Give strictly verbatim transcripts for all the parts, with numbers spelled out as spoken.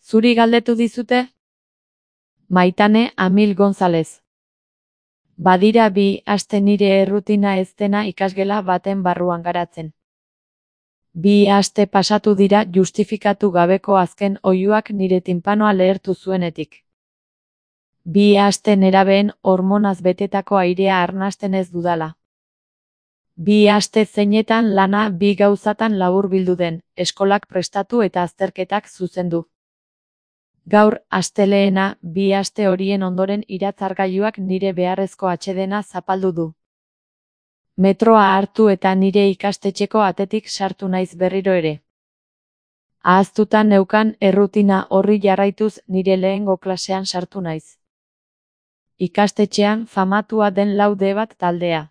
Zuri galdetu dizute? Maitane Amil González. Badira bi aste nire errutina ez dena ikasgela baten barruan garatzen. Bi aste pasatu dira justifikatu gabeko azken oihuak nire tinpanoa lehertu zuenetik. Bi aste nerabeen hormonaz betetako airea arnasten ez dudala. Bi aste zeinetan lana bi gauzatan laburbildu den, eskolak prestatu eta azterketak zuzendu. Gaur, astelehena, bi aste horien ondoren iratzargailuak nire beharrezko atsedena zapaldu du. Metroa hartu eta nire ikastetxeko atetik sartu naiz berriro ere. Ahaztuta neukan errutina horri jarraituz nire lehengo klasean sartu naiz. Ikastetxean famatua den laude bat taldea.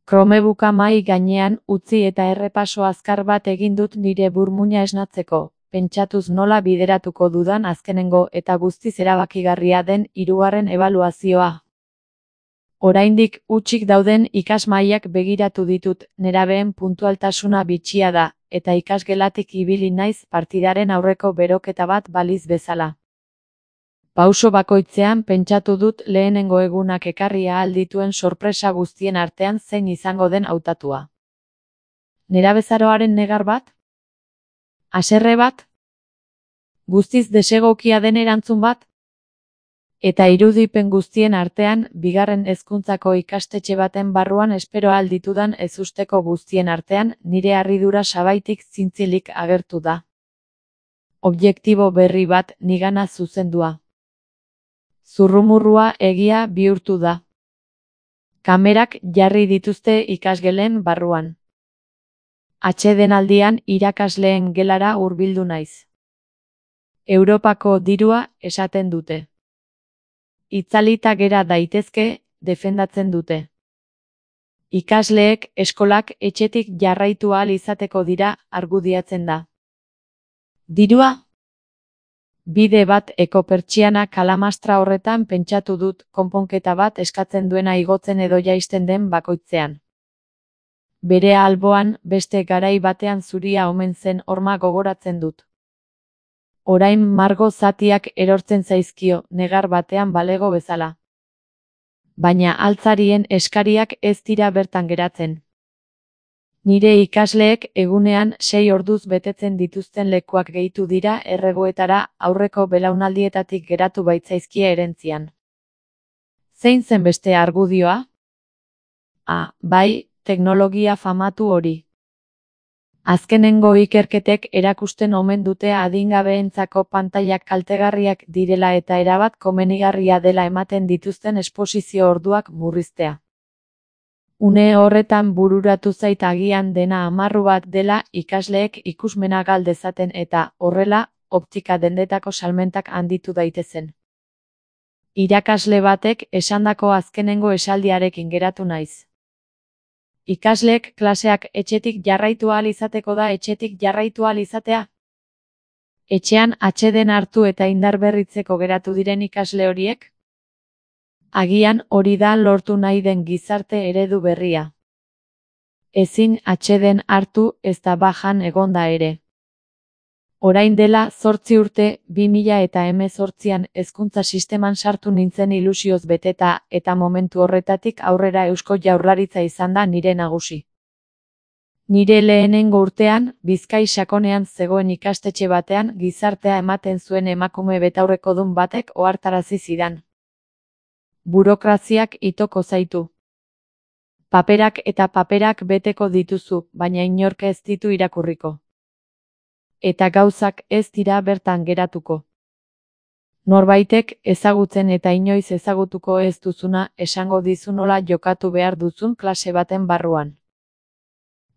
Kromebuka mahai gainean utzi eta errepaso azkar bat egin dut nire burmuina esnatzeko, pentsatuz nola bideratuko dudan azkenengo eta guztiz erabakigarria den hirugarren ebaluazioa. Oraindik hutsik dauden ikasmahaiak begiratu ditut, nerabeen puntualtasuna bitxia da, eta ikasgelatik ibili naiz partidaren aurreko beroketa bat baliz bezala. Pauso bakoitzean pentsatu dut lehenengo egunak ekarri ahal dituen sorpresa guztien artean zein izango den hautatua. Nerabezaroaren negar bat? Haserre bat? Guztiz desegokia den erantzun bat? Eta irudipen guztien artean, bigarren hezkuntzako ikastetxe baten barruan espero ahal ditudan ezusteko guztien artean, nire harridura sabaitik zintzilik agertu da. Objektibo berri bat nigana zuzendua. Zurrumurrua egia bihurtu da. Kamerak jarri dituzte ikasgelen barruan. Atsedenaldian irakasleen gelara hurbildu naiz. Europako dirua esaten dute. Itzalita gera daitezke, defendatzen dute. Ikasleek eskolak etxetik jarraitu ahal izateko dira argudiatzen da. Dirua? Bide bat ekopertsiana kalamastra horretan pentsatu dut konponketa bat eskatzen duena igotzen edo jaisten den bakoitzean. Bere alboan beste garai batean zuria omen zen horma gogoratzen dut. Orain margo zatiak erortzen zaizkio, negar batean balego bezala. Baina altzarien eskariak ez dira bertan geratzen. Nire ikasleek egunean sei orduz betetzen dituzten lekuak gehitu dira erregoetara aurreko belaunaldietatik geratu baitzaizkie erentzian. Zein zen beste argudioa? Ah, bai, teknologia famatu hori. Azkenengo ikerketek erakusten omen dute adingabeentzako pantailak kaltegarriak direla eta erabat komenigarria dela ematen dituzten esposizio orduak murriztea. Une horretan bururatu zait agian dena amarru bat dela ikasleek ikusmena gal dezaten eta, horrela, optika dendetako salmentak handitu daitezen. Irakasle batek esandako azkenengo esaldiarekin geratu naiz. Ikasleek klaseak etxetik jarraitu ahal izateko da etxetik jarraitu ahal izatea? Etxean atseden hartu eta indarberritzeko geratu diren ikasle horiek? Agian hori da lortu nahi den gizarte eredu berria. Ezin atseden hartu ez da bajan egonda ere. Orain dela zortzi urte, bi mila eta hemezortzian hezkuntza sisteman sartu nintzen ilusioz beteta eta momentu horretatik aurrera Eusko Jaurlaritza izan da nire nagusi. Nire lehenengo urtean, Bizkai sakonean zegoen ikastetxe batean gizartea ematen zuen emakume betaurrekodun batek ohartarazi zidan. Burokraziak itoko zaitu. Paperak eta paperak beteko dituzu, baina inork ez ditu irakurriko. Eta gauzak ez dira bertan geratuko. Norbaitek ezagutzen eta inoiz ezagutuko ez duzuna esango dizu nola jokatu behar duzun klase baten barruan.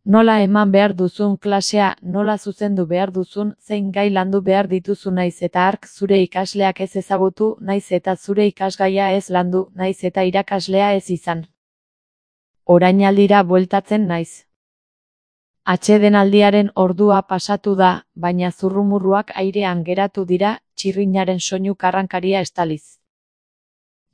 Nola eman behar duzun klasea, nola zuzendu behar duzun, zein gai landu behar dituzu naiz eta hark zure ikasleak ez ezagutu, naiz eta zure ikasgaia ez landu, naiz eta irakaslea ez izan. Orainaldira bueltatzen naiz. Atsedenaldiaren ordua pasatu da, baina zurrumurruak airean geratu dira, txirrinaren soinu karrankaria estaliz.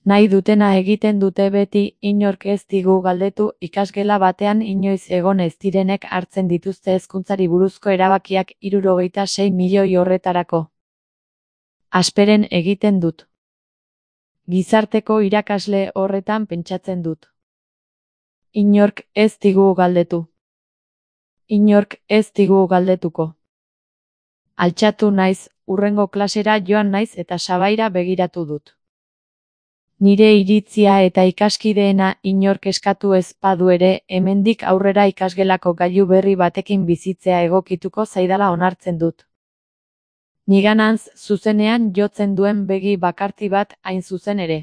Nahi dutena egiten dute beti, inork ez digu galdetu, ikasgela batean inoiz egon ez direnek hartzen dituzte hezkuntzari buruzko erabakiak hirurogeita sei milioi horretarako. Asperen egiten dut. Gizarteko irakasle horretan pentsatzen dut. Inork ez digu galdetu. Inork ez digu galdetuko. Altxatu naiz, hurrengo klasera joan naiz eta sabaira begiratu dut. Nire iritzia eta ikaskideena inork eskatu ez badu ere, hemendik aurrera ikasgelako gailu berri batekin bizitzea egokituko zaidala onartzen dut. Niganantz zuzenean jotzen duen begi bakarti bat hain zuzen ere.